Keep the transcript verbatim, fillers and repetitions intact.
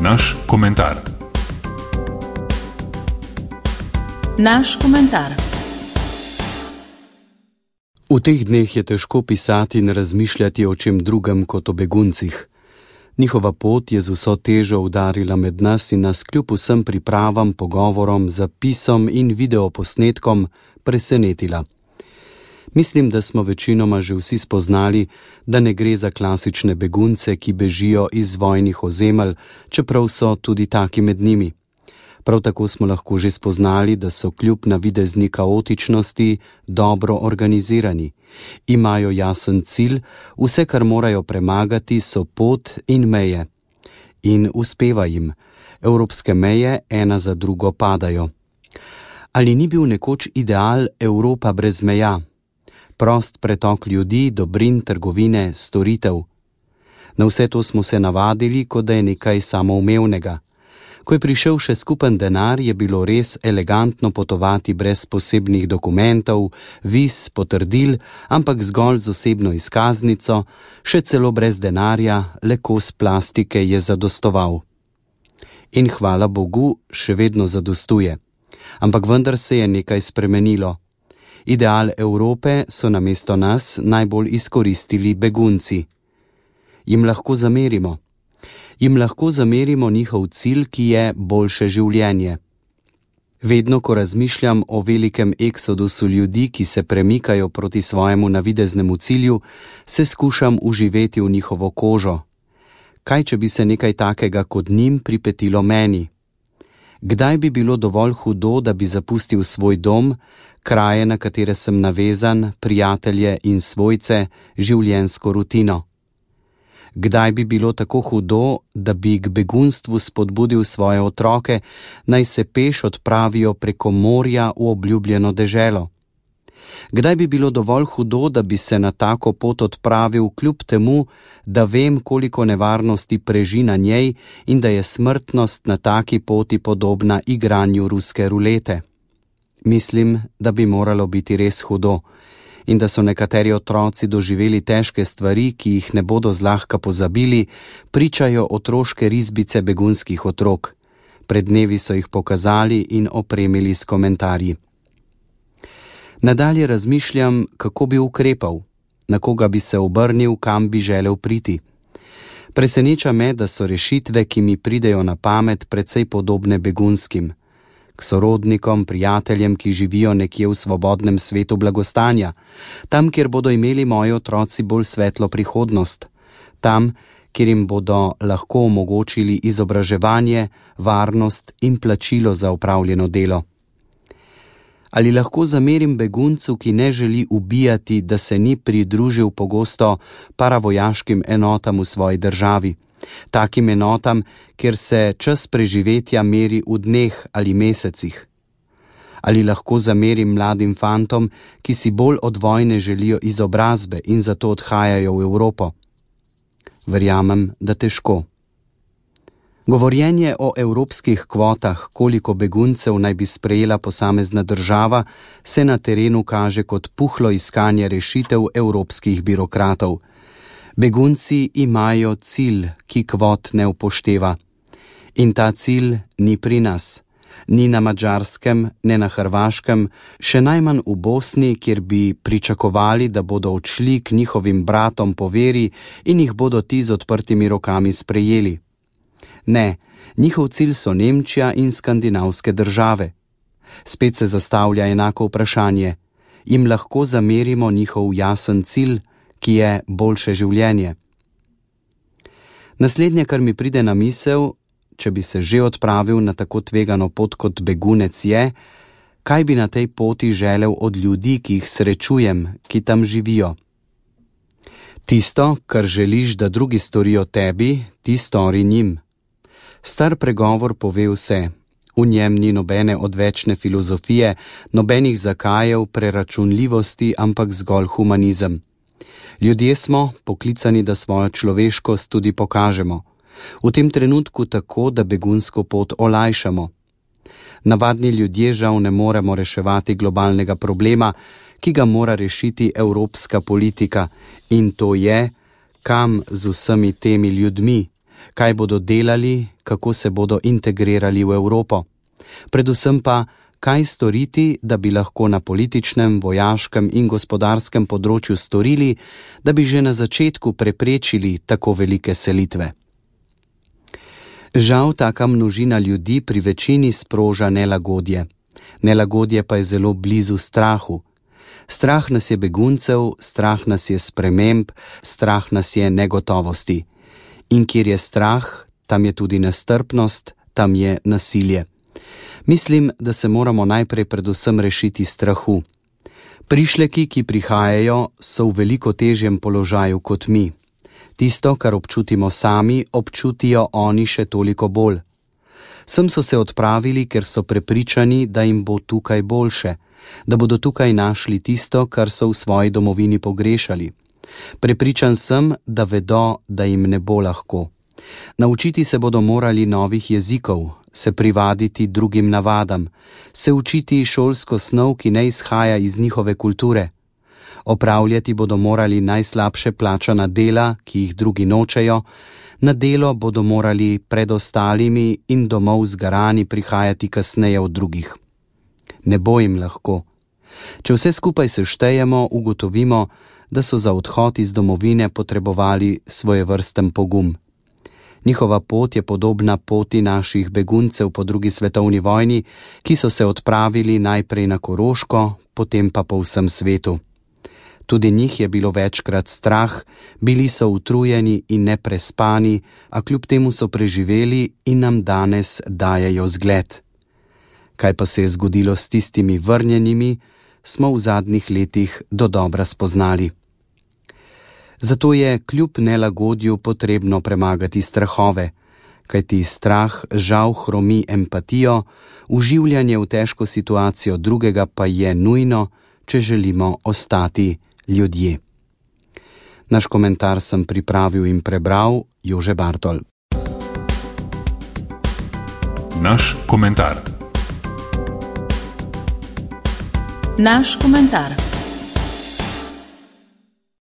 Naš komentar. Naš komentar. V teh dneh je težko pisati in razmišljati o čem drugem kot o beguncih. Njihova pot je z vso težo udarila med nas in nas kljub vsem pripravam, pogovorom, zapisom in videoposnetkom presenetila. Mislim, da smo večinoma že vsi spoznali, da ne gre za klasične begunce, ki bežijo iz vojnih ozemelj, čeprav so tudi taki med njimi. Prav tako smo lahko že spoznali, da so kljub navidezni kaotičnosti dobro organizirani. Imajo jasen cilj, vse, kar morajo premagati, so pot in meje. In uspeva jim. Evropske meje ena za drugo padajo. Ali ni bil nekoč ideal Evropa brez meja? Prost pretok ljudi, dobrin, trgovine, storitev. Na vse to smo se navadili, kot da je nekaj samoumevnega. Ko je prišel še skupen denar, je bilo res elegantno potovati brez posebnih dokumentov, viz, potrdil, ampak zgolj z osebno izkaznico, še celo brez denarja, le kos plastike je zadostoval. In hvala Bogu, še vedno zadostuje. Ampak vendar se je nekaj spremenilo. Ideal Evrope so namesto nas najbolj izkoristili begunci. Jim lahko zamerimo. Jim lahko zamerimo njihov cilj, ki je boljše življenje. Vedno, ko razmišljam o velikem eksodusu ljudi, ki se premikajo proti svojemu navideznemu cilju, se skušam uživeti v njihovo kožo. Kaj, če bi se nekaj takega kot njim pripetilo meni? Kdaj bi bilo dovolj hudo, da bi zapustil svoj dom, kraje, na katere sem navezan, prijatelje in svojce, življenjsko rutino? Kdaj bi bilo tako hudo, da bi k begunstvu spodbudil svoje otroke, naj se peš odpravijo preko morja v obljubljeno deželo? Kdaj bi bilo dovolj hudo, da bi se na tako pot odpravil kljub temu, da vem, koliko nevarnosti preži na njej in da je smrtnost na taki poti podobna igranju ruske rulete? Mislim, da bi moralo biti res hudo in da so nekateri otroci doživeli težke stvari, ki jih ne bodo zlahka pozabili, pričajo otroške risbice begunskih otrok. Pred dnevi so jih pokazali in opremili s komentarji. Nadalje razmišljam, kako bi ukrepal, na koga bi se obrnil, kam bi želel priti. Preseneča me, da so rešitve, ki mi pridejo na pamet, precej podobne begunskim. K sorodnikom, prijateljem, ki živijo nekje v svobodnem svetu blagostanja, tam, kjer bodo imeli moji otroci bolj svetlo prihodnost, tam, kjer jim bodo lahko omogočili izobraževanje, varnost in plačilo za opravljeno delo. Ali lahko zamerim beguncu, ki ne želi ubijati, da se ni pridružil pogosto paravojaškim enotam v svoji državi, takim enotam, kjer se čas preživetja meri v dneh ali mesecih? Ali lahko zamerim mladim fantom, ki si bolj od vojne želijo izobrazbe in zato odhajajo v Evropo? Verjamem, da težko. Govorjenje o evropskih kvotah, koliko beguncev naj bi sprejela posamezna država, se na terenu kaže kot puhlo iskanje rešitev evropskih birokratov. Begunci imajo cilj, ki kvot ne upošteva. In ta cilj ni pri nas. Ni na Madžarskem, ne na Hrvaškem, še najmanj v Bosni, kjer bi pričakovali, da bodo odšli k njihovim bratom po veri in jih bodo ti z odprtimi rokami sprejeli. Ne, njihov cilj so Nemčija in skandinavske države. Spet se zastavlja enako vprašanje. Jim lahko zamerimo njihov jasen cilj, ki je boljše življenje? Naslednje, kar mi pride na misel, če bi se že odpravil na tako tvegano pot kot begunec, je, kaj bi na tej poti želel od ljudi, ki jih srečujem, ki tam živijo. Tisto, kar želiš, da drugi storijo tebi, ti stori njim. Star pregovor pove vse. V njem ni nobene odvečne filozofije, nobenih zakajev, preračunljivosti, ampak zgolj humanizem. Ljudje smo poklicani, da svojo človeškost tudi pokažemo. V tem trenutku tako, da begunsko pot olajšamo. Navadni ljudje žal ne moremo reševati globalnega problema, ki ga mora rešiti evropska politika, in to je, kam z vsemi temi ljudmi, Kaj bodo delali, kako se bodo integrirali v Evropo? Predvsem pa, kaj storiti, da bi lahko na političnem, vojaškem in gospodarskem področju storili, da bi že na začetku preprečili tako velike selitve. Žal, taka množina ljudi pri večini sproža nelagodje. Nelagodje pa je zelo blizu strahu. Strah nas je beguncev, strah nas je sprememb, strah nas je negotovosti. In kjer je strah, tam je tudi nestrpnost, tam je nasilje. Mislim, da se moramo najprej predvsem rešiti strahu. Prišleki, ki prihajajo, so v veliko težjem položaju kot mi. Tisto, kar občutimo sami, občutijo oni še toliko bolj. Sem so se odpravili, ker so prepričani, da jim bo tukaj boljše, da bodo tukaj našli tisto, kar so v svoji domovini pogrešali. Prepričan sem, da vedo, da jim ne bo lahko. Naučiti se bodo morali novih jezikov, se privaditi drugim navadam, se učiti šolsko snov, ki ne izhaja iz njihove kulture. Opravljati bodo morali najslabše plačana dela, ki jih drugi nočejo, na delo bodo morali pred ostalimi in domov zgarani prihajati kasneje od drugih. Ne bo jim lahko. Če vse skupaj seštejemo, ugotovimo, da so za odhod iz domovine potrebovali svojevrsten pogum. Njihova pot je podobna poti naših beguncev po drugi svetovni vojni, ki so se odpravili najprej na Koroško, potem pa po vsem svetu. Tudi njih je bilo večkrat strah, bili so utrujeni in neprespani, a kljub temu so preživeli in nam danes dajejo zgled. Kaj pa se je zgodilo s tistimi vrnjenimi, smo v zadnjih letih dodobra spoznali. Zato je kljub nelagodju potrebno premagati strahove, kajti strah žal hromi empatijo, vživljanje v težko situacijo drugega pa je nujno, če želimo ostati ljudje. Naš komentar sem pripravil in prebral Jože Bartol. Naš komentar. Naš komentar.